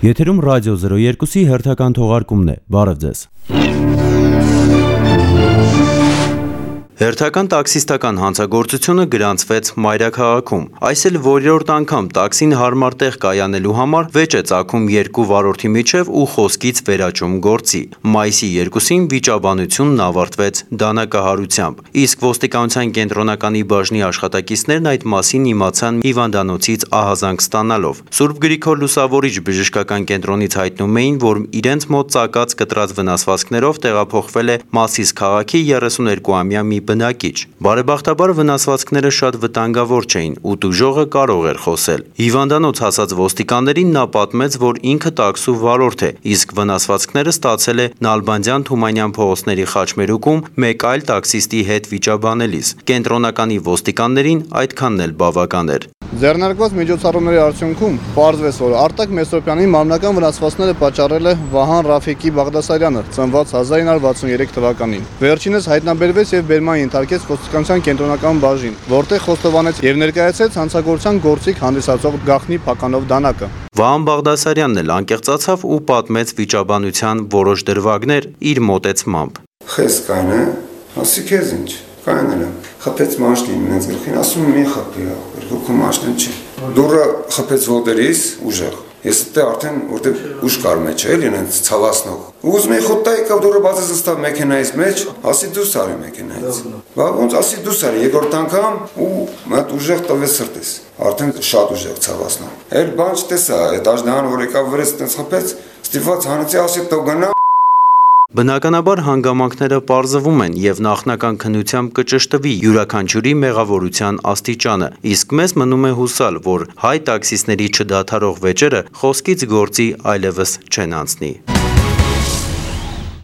Եթերում ռադիո 02-ի հերթական թողարկումն է, բարև ձեզ։ Հերթական տաքսիստական հանցագործությունը գրանցվեց Մայրաքաղաքում։ Այս էլ որերորդ անգամ տաքսին հարմար տեղ կայանելու համար վեճ է ծագում երկու վարորդի միջև ու խոսքից վերաճում գործի։ Մայիսի 2-ին վիճաբանությունն ավարտվեց դանակահարությամբ, իսկ ոստիկանության կենտրոնականի բաժնի աշխատակիցներն այդ մասին իմացան հիվանդանոցից ահազանգ ստանալով։ Սուրբ Գրիգոր Լուսավորիչ բժշկական կենտրոնից հայտնում էին, որ իրենց մոտ ծակած կտրած վնասվածքներով տեղափոխվել է Մասիս քաղաքի 32-ամյա մի բնակիչ։ Բարեբախտաբար վնասվածքները շատ վտանգավոր չէին ու տուժողը կարող էր խոսել։ Հիվանդանոց հասած ոստիկաններին նա պատմեց, որ ինքը տաքսու վարորդ է, իսկ վնասվածքները ստացել է Նալբանդյան Թումանյան փողոցների խաչմերուկում մեկ այլ տաքսիստի հետ վիճաբանելիս։ Կենտրոնականի ոստիկաններին այդքանն էլ բավական էր։ Ձեռնարկված միջոցառումների արդյունքում պարզվեց, որ Արտակ Մեսրոպյանի մարմնական վնասվածքները պատճառել է Վահան Ռաֆիկի Բաղդասարյանը, ծնված 1963 թվականին։ Վերջինս հայտնաբերվեց եւ բերման ենթարկեց ոստիկանության կենտրոնական բաժին, որտեղ խոստովանեց եւ ներկայացրեց հանցագործության գործիք հանդիսացող գաղտնի փականով դանակը։ Վահան Բաղդասարյանն էլ անկեղծացավ ու պատմեց վիճաբանության որոշ դրվագներ իր մոտեցմամբ։ Խես կայնը, ասի քեզ ինչ, կայները, խփեց մաշնին ինձ գլխին, ասում մի խփի, երկու մաշնին չի։ Դուրը խփեց ոտերիս ուժեղ։ Ես դե արդեն որտեղ ուժ կար մեջ էլի ինձ ցավացնող։ Ուզում էի խոտայի կա դուրը բացած ստա մեքենայից մեջ, ասի դուրս արի մեքենայից։ Բա ոնց ասի դուրս արի երկրորդ անգամ ու մատ ուժեղ տվեց սրտես։ Արդեն շատ ուժեղ ցավացնող։ Էլ բան չտեսա, այդ աժնահան որ եկավ վրեց տես խփեց, ստիված հանեցի ասի տո գնա։ Բնականաբար հանգամանքները պարզվում են եւ նախնական քննությամբ կճշտվի յուրաքանչյուրի մեղավորության աստիճանը, իսկ մեզ մնում է հուսալ, որ հայ տաքսիստների չդադարող վեճերը խոսքից գործի այլևս չեն անցնի։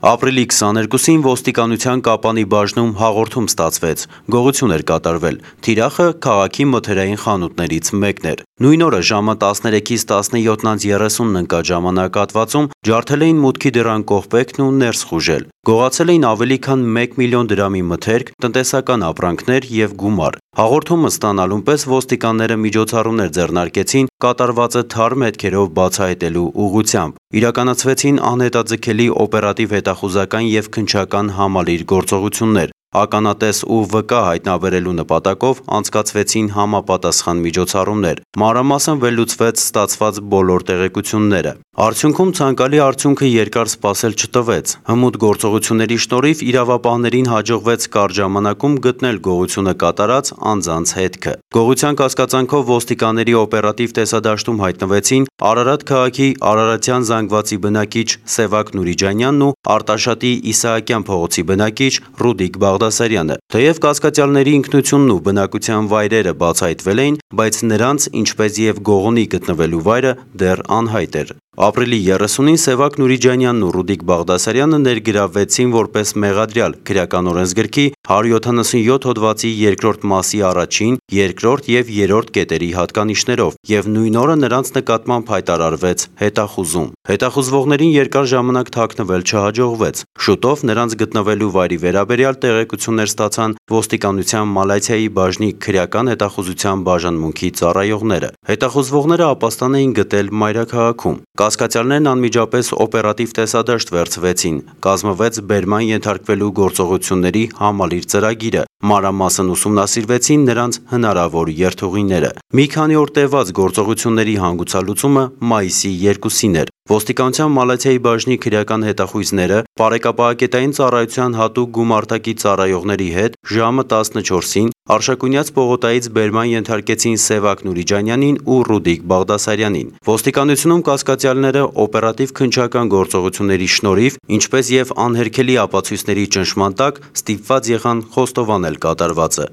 Ապրիլի 22-ին ոստիկանության Կապանի բաժնում հաղորդում ստացվեց, գողություն էր կատարվել, թիրախը քաղաքի մթերային խանութներից մեկն էր։ Նույն օրը ժամը 13-ից 17:30 ընկած ժամանակահատվածում ջարդել էին մուտքի դռան կողպեքն ու ներս խուժել։ Գողացել էին ավելի քան 1 միլիոն դրամի մթերք, տնտեսական ապրանքներ եւ գումար։ Հաղորդումը ստանալուն պես ոստիկանները միջոցառումներ ձեռնարկեցին կատարվածը թարմ հետքերով բացահայտելու ուղղությամբ։ Իրականացվեցին անհետաձգելի օպերատիվ հետախուզական եւ քննչական համալիր գործողություններ։ Ականատես ու վկա հայտնաբերելու նպատակով անցկացվեցին համապատասխան միջոցառումներ։ Մանրամասն վերլուծվեց ստացված բոլոր տեղեկությունները։ Արդյունքում ցանկալի արդյունքը երկար սպասել չտվեց։ Հմուտ գործողությունների շնորհիվ իրավապահներին հաջողվեց կարճ ժամանակում գտնել գողությունը կատարած անձանց հետքը։ Գողության կասկածանքով ոստիկանների օպերատիվ տեսադաշտում հայտնվեցին Արարատ քաղաքի Արարատյան զանգվածի բնակիչ Սևակ Նուրիջանյանն ու Արտաշատի Իսահակյան փողոցի բնակիչ Ռուդիկ Բաղդասարյանը։ Թեև կասկածյալների ինքնությունն ու բնակության վայրերը բացահայտվել էին, բայց նրանց, ինչպես եւ գողունի գտնվելու վայրը դեռ անհայտ էր։ Ապրիլի 30-ին Սևակ Նուրիջանյանն ու Ռուդիկ Բաղդասարյանը ներգրավվեցին որպես մեղադրյալ քրեական օրենսգրքի 177 հոդվածի 2-րդ մասի 1-ին, 2-րդ եւ 3-րդ կետերի հատկանիշներով եւ նույն օրը նրանց նկատմամբ հայտարարվեց հետախուզում։ Հետախուզվողներին երկար ժամանակ թաքնվել չհաջողվեց։ Շուտով նրանց գտնվելու վայրի վերաբերյալ տեղեկություններ ստացան ոստիկանության Մալաթիայի բաժնի քրեական հետախուզության բաժանմունքի ծառայողները։ Հետախուզվողները ապաստան էին գտել Մայրաքաղաքում։ Կասկածյալներն անմիջապես օպերատիվ տեսադաշտ վերցվեցին, կազմվեց բերման ենթարկվելու գործողությունների համալիր ծրագիրը, մանրամասն ուսումնասիրվեցին նրանց հնարավոր երթուղիները։ Մի քանի օր տևած գործողությունների հանգուցալուծումը մայիսի 2-ին էր։ Ոստիկանության Մալաթիայի բաժնի քրեական հետախույզները Պարեկապահակետային ծառայության հատուկ գումարտակի ծառայողների հետ ժամը 14-ին Արշակունյաց պողոտայից բերման ենթարկեցին Սևակ Նուրիջանյանին ու Ռուդիկ Բաղդասարյանին։ Ոստիկանությունում կասկածյալները օպերատիվ քննչական գործողությունների շնորհիվ, ինչպես եւ անհերքելի ապացույցների ճնշման տակ ստիպված եղան խոստովանել կատարվածը։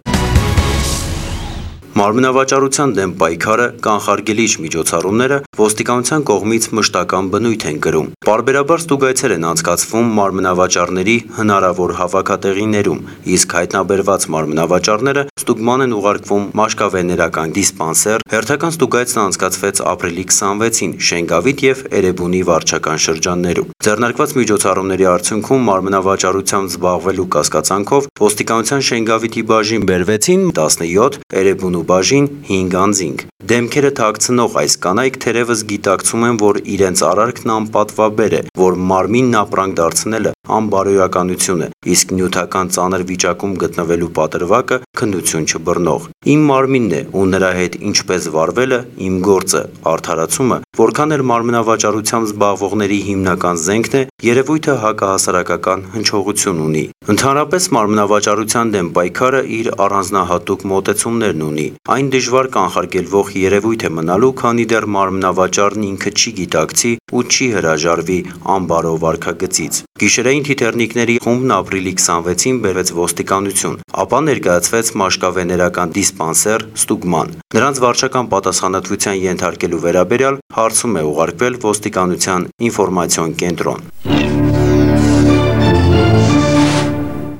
Մարմնավաճառության դեմ պայքարը, կանխարգելիչ միջոցառումները ոստիկանության կողմից մշտական բնույթ են կրում։ Պարբերաբար ստուգայցեր են անցկացվում մարմնավաճառների հնարավոր հավաքատեղիներում, իսկ հայտնաբերված մարմնավաճառները ստուգման են ուղարկվում մաշկավեներական դիսպանսեր։ Հերթական ստուգայցն անցկացվեց ապրիլի 26-ին Շենգավիթ եւ Էրեբունի վարչական շրջաններում։ Ձեռնարկված միջոցառումների արդյունքում մարմնավաճառությամբ զբաղվելու կասկածանքով ոստիկանության Շենգավիթի բաժին բերվեցին 17, Էրեբունու բաժին 5 անձինք։ Դեմքերը թաքցնող այս կանայք թերևս գիտակցում են, որ իրենց արարքն անպատվաբեր է, որ մարմինն ապրանք դարձնելը անբարոյականություն է, իսկ նյութական ծանր վիճակում գտնվելու պատրվակը քննություն չբռնող։ Իմ մարմինն է ու նրա հետ ինչպես վարվելը իմ գործը, արդարացումը, որքան էլ մարմնավաճառությամբ զբաղվողների հիմնական զենքն է, երևույթը հակահասարակական հնչողություն ունի։ Ընդհանրապես մարմնավաճառության դեմ պայքարը իր առանձնահատուկ մոտեցումներն ունի։ Այն դժվար կանխարգելվող երևույթ է մնալու, քանի դեռ մարմնավաճառն ինքը չի գիտակցի ու չի հրաժարվի անբարո վարքագծից։ Գիշերային թիթեռնիկների խումբն ապրիլի 26-ին բերվեց ոստիկանություն, ապա ներկայացվեց մաշկավեներական դիսպանսեր ստուգման։ Նրանց վարչական պատասխանատվության ենթարկելու վերաբերյալ հարցում է ուղարկվել ոստիկանության ինֆորմացիոն կենտրոն։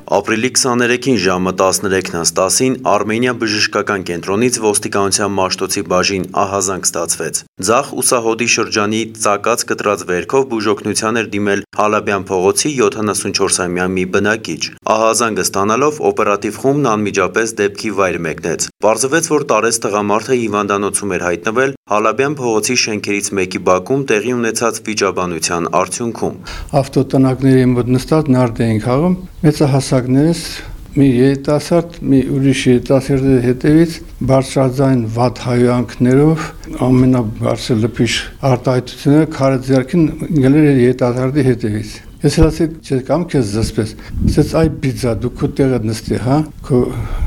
Ապրիլի 23-ին ժամը 13:10-ին Արմենիա բժշկական կենտրոնից ոստիկանության Մաշտոցի բաժին ահազանգ ստացվեց։ Ձախ ուսահոդի շրջանի ծակած կտրած վերքով բուժօգնության էր դիմել Հալաբյան փողոցի 74-ամյա մի բնակիչ։ Ահազանգը ստանալով օպերատիվ խումբն անմիջապես դեպքի վայր մեկնեց։ Պարզվեց, որ տարեց տղամարդը հիվանդանոցում էր հայտնվել Հալաբյան փողոցի շենքերից մեկի բակում տեղի ունեցած վիճաբանության արդյունքում։ Ավտոտնակների մոտ նստած նարդ էին խաղում, մեծահասակներս մի երիտասարդ, մի ուրիշ երիտասարդի հետևից բարձրաձայն վատ հայանքներով ամենաբարձր լփիշ արտահայտությունները քարը ձեռքին գնել էր երիտասարդի հետևից։ Ես ասեցի, չէ՞ կամ քեզ զսպես։ Ասեց, այ բիձա, դու քո տեղը նստի, հա, քո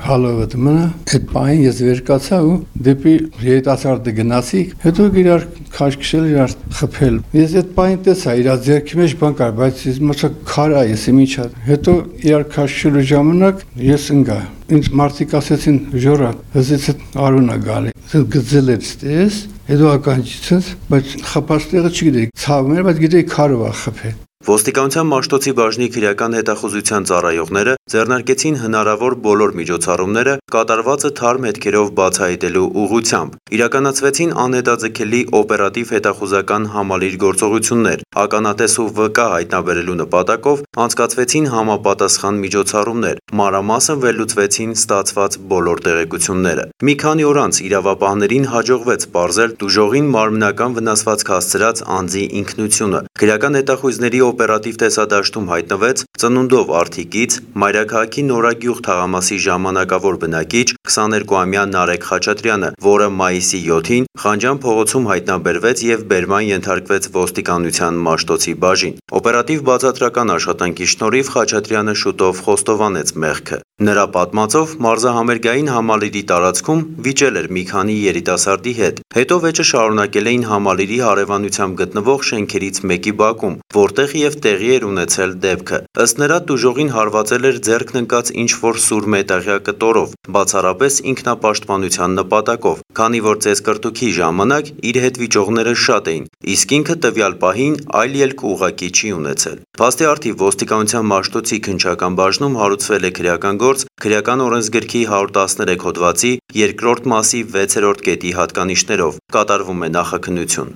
հալովդ մնա։ Այդ պահին ես վեր կացա ու դեպի երիտասարդը գնացի, հետո իրար քաշքշել, իրար խփել։ Ես այդ պահին տեսա, իր ձեռքի մեջ բան կար, բայց ես մոռացա քար է, ես ինչա։ Հետո իրար քաշքշելու ժամանակ ես ընկա։ Ինձ մարդիկ ասեցին, ժորա, հզից արունա գալի։ Գծել էր ստես, հետո ականջից, բայց խփած տեղը չգիտեի, ցավում էր, բայց գիտեի քարով է խփել։ Ոստիկանության Մաշտոցի բաժնի քրեական հետախուզության ծառայողները ձեռնարկեցին հնարավոր բոլոր միջոցառումները կատարվածը թարմ հետքերով բացահայտելու ուղղությամբ։ Իրականացվեցին անհետաձգելի օպերատիվ հետախուզական համալիր գործողություններ, ականատես ու վկա հայտնաբերելու նպատակով անցկացվեցին համապատասխան միջոցառումներ, մանրամասն վերլուծվեցին ստացված բոլոր տեղեկությունները։ Մի քանի օր անց իրավապահներին հաջողվեց պարզել տուժողին մարմնական վնասվածք հասցրած անձի ինքնությունը։ Քրեական հետախույզների օպերատիվ տեսադաշտում հայտնվեց ծնունդով արտիկից Մայրաքաղաքի Նորագյուղ թաղամասի ժամանակավոր բնակիչ 22-ամյա Նարեկ Խաչատրյանը, որը մայիսի 7-ին Խանջան փողոցում հայտնաբերվեց եւ բերման ենթարկվեց ոստիկանության Մաշտոցի բաժին։ Օպերատիվ բացատրական աշխատանքի շնորհիվ Խաչատրյանը շուտով խոստովանեց մեղքը։ Նրա պատմածով մարզահամերգային համալիրի տարածքում վիճել էր մի քանի երիտասարդի հետ։ Հետո վեճը շարունակել էին համալիրի հարևանությամբ գտնվող շենքերից մեկի բակում, որտեղ եւ տեղի էր ունեցել դեպքը։ Ըստ նրա տուժողին հարվածել էր ձեռքն ընկած ինչ-որ սուր մետաղյա կտորով, բացառապես ինքնապաշտպանության նպատակով, քանի որ ծեսկրտուքի ժամանակ իր հետ վիճողները շատ էին, իսկ ինքը տվյալ պահին այլ ելք ուղղակի չի ունեցել։ Փաստի առթիվ ոստիկանության Մաշտոցի քննչական բաժնում հարուցվել է քրեական գործ քրեական օրենսգրքի 113 հոդվածի 2-րդ մասի 6-րդ կետի հատկանիշներով, կատարվում է նախաքննություն։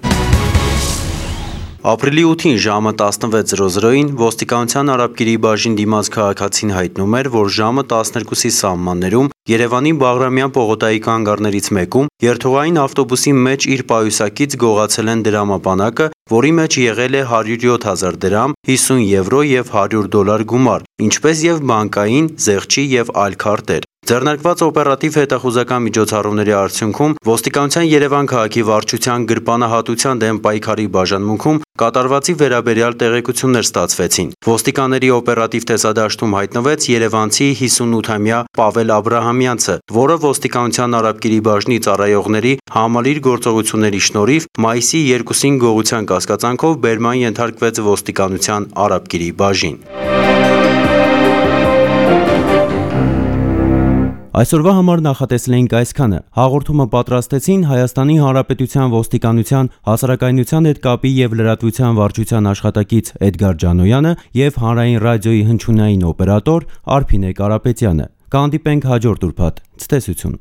Ապրիլի 8-ին ժամը 16:00-ին ոստիկանության Արաբկիրի բաժին դիմաց քաղաքացին հայտնում էր, որ ժամը 12-ի սահմաններում Երևանի Բաղրամյան պողոտայի կանգառներից մեկում երթուղային ավտոբուսի մեջ իր պայուսակից գողացել են դրամապանակը, որի մեջ եղել է 107,000 դրամ, 50 եվրո եւ $100 գումար, ինչպես եւ բանկային, զեղչի եւ այլ քարտեր։ Ձեռնարկված օպերատիվ հետախուզական միջոցառումների արդյունքում ոստիկանության Երևան քաղաքի վարչության գրպանահատության դեմ պայքարի բաժանմունքում կատարվածի վերաբերյալ տեղեկություններ ստացվեցին։ Ոստիկանների օպերատիվ տեսադաշտում հայտնվեց երևանցի 58-ամյա Պավել Աբրահամյանցը, որը ոստիկանության Արաբկիրի բաժնի ծառայողների համալիր գործողությունների շնորհիվ մայիսի 2-ին գողության կասկածանքով բերման ենթարկվեց ոստիկանության Արաբկիրի բաժին։ Այսօրվա համար նախատեսել էինք այսքանը։ Հաղորդումը պատրաստեցին Հայաստանի Հանրապետության ոստիկանության հասարակայնության հետ կապի եւ լրատվության վարչության աշխատակից Էդգար Ջանոյանը եւ Հանրային ռադիոյի հնչյունային օպերատոր Արփինե Կարապետյանը։ Կհանդիպենք հաջորդ ուրբաթ։ Ցտեսություն։